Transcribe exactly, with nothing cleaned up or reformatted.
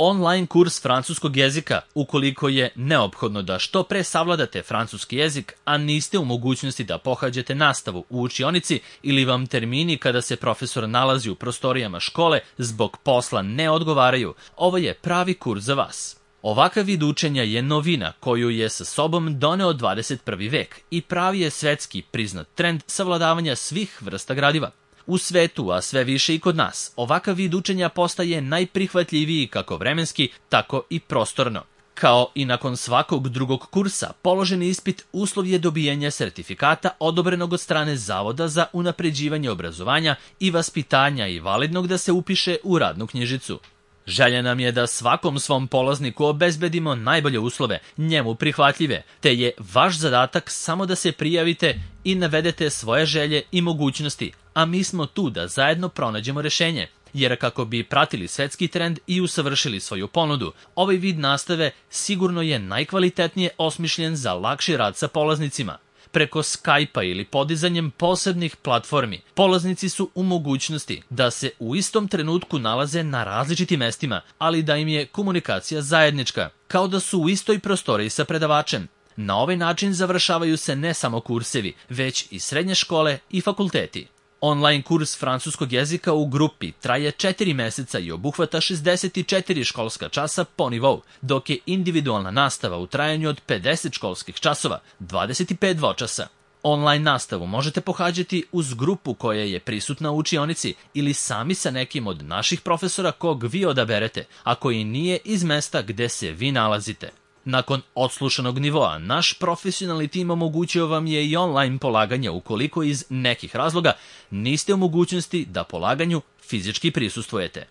Online kurs francuskog jezika ukoliko je neophodno da što pre savladate francuski jezik, a niste u mogućnosti da pohađate nastavu u učionici ili vam termini kada se profesor nalazi u prostorijama škole zbog posla ne odgovaraju, ovo je pravi kurs za vas. Ovakav vid učenja je novina koju je sa sobom doneo dvadeset prvi vek i pravi je svetski priznat trend savladavanja svih vrsta gradiva. U svetu, a sve više i kod nas, ovakav vid učenja postaje najprihvatljiviji kako vremenski, tako i prostorno. Kao i nakon svakog drugog kursa, položeni ispit uslov je dobijanja sertifikata odobrenog od strane Zavoda za unapređivanje obrazovanja i vaspitanja i validnog da se upiše u radnu knjižicu. Želja nam je da svakom svom polazniku obezbedimo najbolje uslove, njemu prihvatljive, te je vaš zadatak samo da se prijavite i navedete svoje želje i mogućnosti, a mi smo tu da zajedno pronađemo rešenje. Jer kako bi pratili svetski trend i usavršili svoju ponudu, ovaj vid nastave sigurno je najkvalitetnije osmišljen za lakši rad sa polaznicima. Preko Skype-a ili podizanjem posebnih platformi, polaznici su u mogućnosti da se u istom trenutku nalaze na različitim mestima, ali da im je komunikacija zajednička, kao da su u istoj prostoriji sa predavačem. Na ovaj način završavaju se ne samo kursevi, već i srednje škole i fakulteti. Online kurs francuskog jezika u grupi traje četiri meseca i obuhvata šezdeset četiri školska časa po nivou, dok je individualna nastava u trajanju od pedeset školskih časova, dvadeset pet dvočasa. Online nastavu možete pohađati uz grupu koja je prisutna u učionici ili sami sa nekim od naših profesora kog vi odaberete, a koji nije iz mesta gde se vi nalazite. Nakon odslušanog nivoa, naš profesionalni tim omogućio vam je i online polaganje ukoliko iz nekih razloga niste u mogućnosti da polaganju fizički prisustvujete.